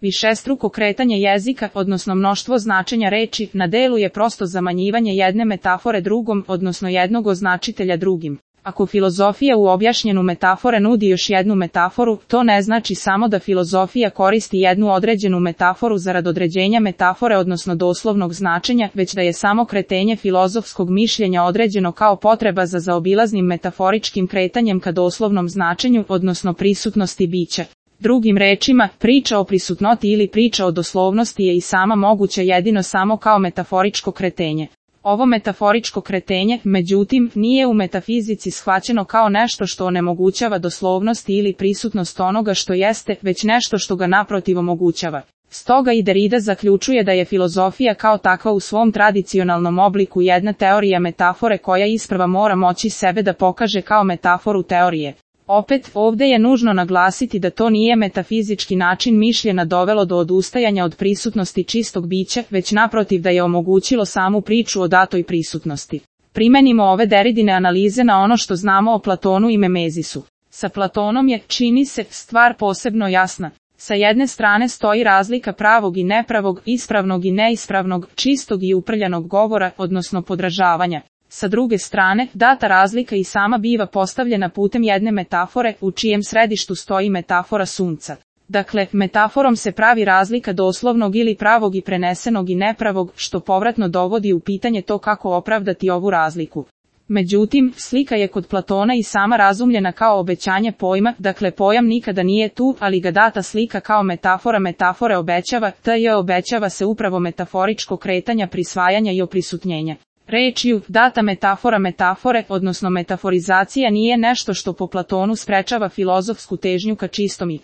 Višestruko kretanje jezika, odnosno mnoštvo značenja reči, na delu je prosto zamanjivanje jedne metafore drugom, odnosno jednog označitelja drugim. Ako filozofija u objašnjenu metafore nudi još jednu metaforu, to ne znači samo da filozofija koristi jednu određenu metaforu zarad određenja metafore odnosno doslovnog značenja, već da je samo kretenje filozofskog mišljenja određeno kao potreba za zaobilaznim metaforičkim kretanjem ka doslovnom značenju, odnosno prisutnosti bića. Drugim rečima, priča o prisutnosti ili priča o doslovnosti je i sama moguća jedino samo kao metaforičko kretenje. Ovo metaforičko kretenje, međutim, nije u metafizici shvaćeno kao nešto što onemogućava doslovnost ili prisutnost onoga što jeste, već nešto što ga naprotiv omogućava. Stoga i Derrida zaključuje da je filozofija kao takva u svom tradicionalnom obliku jedna teorija metafore koja isprva mora moći sebe da pokaže kao metaforu teorije. Opet, ovdje je nužno naglasiti da to nije metafizički način mišljenja dovelo do odustajanja od prisutnosti čistog bića, već naprotiv da je omogućilo samu priču o datoj prisutnosti. Primenimo ove Derridine analize na ono što znamo o Platonu i Memezisu. Sa Platonom je, čini se, stvar posebno jasna. Sa jedne strane stoji razlika pravog i nepravog, ispravnog i neispravnog, čistog i uprljanog govora, odnosno podražavanja. Sa druge strane, data razlika i sama biva postavljena putem jedne metafore, u čijem središtu stoji metafora sunca. Dakle, metaforom se pravi razlika doslovnog ili pravog i prenesenog i nepravog, što povratno dovodi u pitanje to kako opravdati ovu razliku. Međutim, slika je kod Platona i sama razumljena kao obećanje pojma, dakle pojam nikada nije tu, ali ga data slika kao metafora metafore obećava, obećava se upravo metaforičko kretanja prisvajanja i oprisutnjenja. Rečju, data metafora metafore, odnosno metaforizacija nije nešto što po Platonu sprečava filozofsku težnju ka čistom i